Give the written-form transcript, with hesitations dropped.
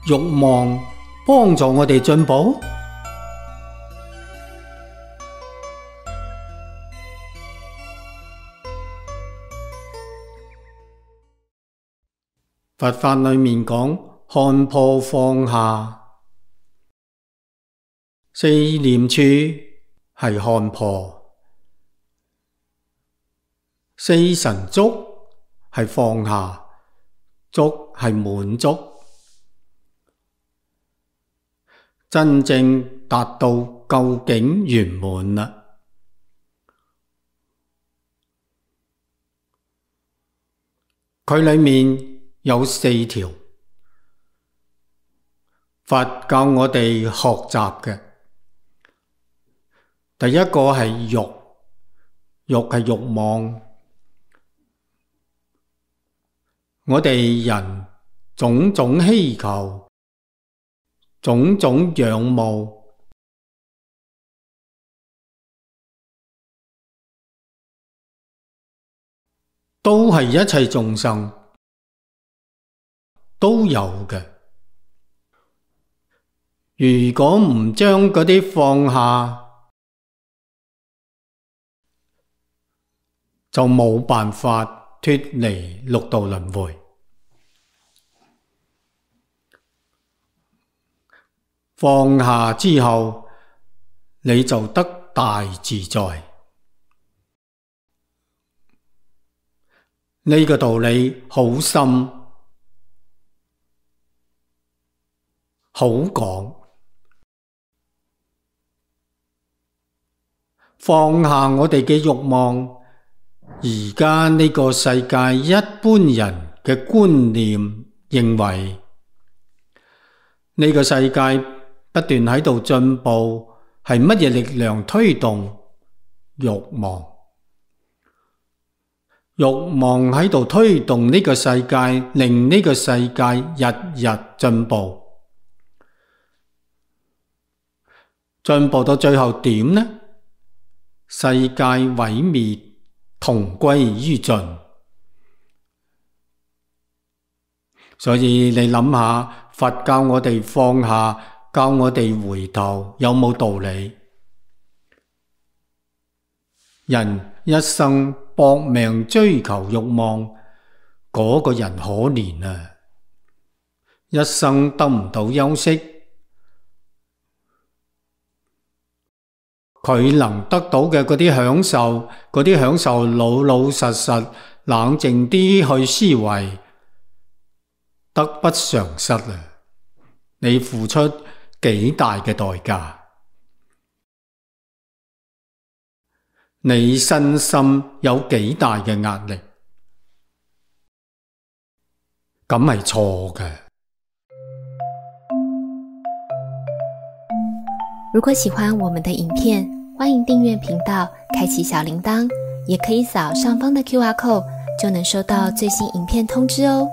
慾望幫助我哋進步？佛法裏面講看破放下，四念處係看破，四神足係放下，足係滿足，真正達到究竟圓滿啦。佢裏面有四條，佛教我哋學習嘅。第一個係欲，欲係慾望。我哋人種種希求，種種仰慕，都係一切眾生都有嘅。如果唔將嗰啲放下，就冇辦法脫離六道輪迴。放下之後，你就得大自在。呢個道理好深，好廣。放下我哋嘅慾望，而家呢個世界一般人嘅觀念認為，呢個世界不斷喺度進步，係乜嘢力量推動？慾望。慾望喺度推動呢個世界，令呢個世界日日進步。進步到最後點呢？世界毀滅，同歸於盡。所以你諗下，佛教我哋放下，教我哋回頭，有冇道理？人一生搏命追求慾望，嗰個人可憐啊！一生得唔到休息。佢能得到嘅嗰啲享受老老實實冷靜啲去思維，得不償失啊！你付出幾大嘅代價？你身心有幾大嘅壓力？咁係錯嘅。如果喜歡我們的影片，歡迎訂閱頻道，開啟小鈴鐺，也可以掃上方的QR code，就能收到最新影片通知哦。